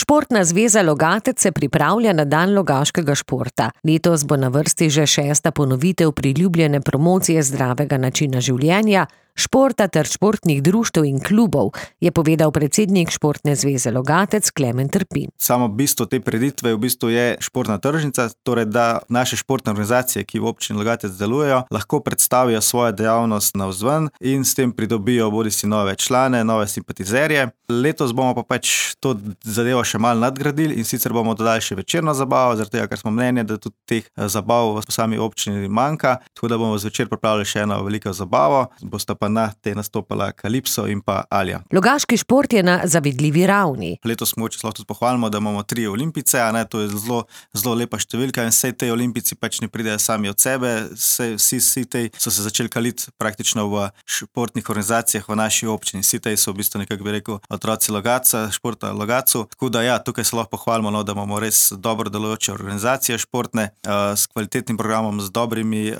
Športna zveza Logatec se pripravlja na dan logaškega športa. Letos bo na vrsti že 6. ponovitev priljubljene promocije zdravega načina življenja, športa ter športnih društev in klubov, je povedal predsednik Športne zveze Logatec Klemen Trpin. Samo bistvo te prireditve je športna tržnica, torej da naše športne organizacije, ki v občini Logatec delujejo, lahko predstavijo svojo dejavnost navzven in s tem pridobijo bodisi nove člane, nove simpatizerje. Letos bomo pa to zadevo še malo nadgradili in sicer bomo dodali še večerno zabavo, zaradi tega, ker smo mnenja, da tudi teh zabav v sami občini manjka, tako da bomo zvečer pripravili še eno veliko zabavo, bosta pa na te nastopala Kalipso in pa Alja. Logaški šport je na zavidljivi ravni. Letos smo lahko tudi pohvalimo, da imamo 3 olimpijce, to je zelo lepa številka in vse te olimpijci ne pridejo sami od sebe, vsi te so se začeli kaliti praktično v športnih organizacijah v naši občini. Vsi te so v bistvu nekako bi rekel otroci Logatca, športa Logatcu, tako da tukaj se lahko pohvalimo, da imamo res dobro delujoče organizacije športne, s kvalitetnim programom, z dobrimi,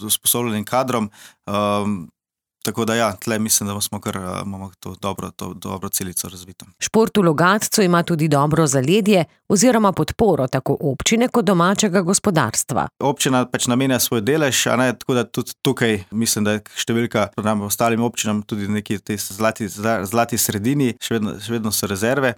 usposobljenim kadrom. Tako da tle mislim, da imamo to dobro celico razvito. Šport v Logatcu ima tudi dobro zaledje oziroma podporo tako občine kot domačega gospodarstva. Občina namenja svoj delež, tako da tudi tukaj mislim, da je številka pred ostalim občinam tudi neki te zlati sredini, še vedno so rezerve.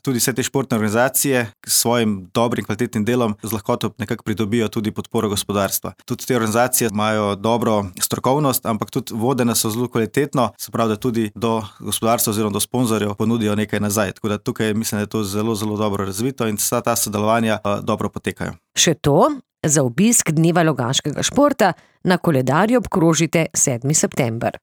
Tudi vse te športne organizacije s svojim dobrim kvalitetnim delom z lahkoto nekako pridobijo tudi podporo gospodarstva. Tudi te organizacije imajo dobro strokovnost, ampak tudi vodene so zelo kvalitetno, se pravi, da tudi do gospodarstva oziroma do sponzorjev ponudijo nekaj nazaj. Tako da tukaj mislim, da je to zelo, zelo dobro razvito in vsa ta sodelovanja dobro potekajo. Še to, za obisk dneva logaškega športa na koledarju obkrožite 7. september.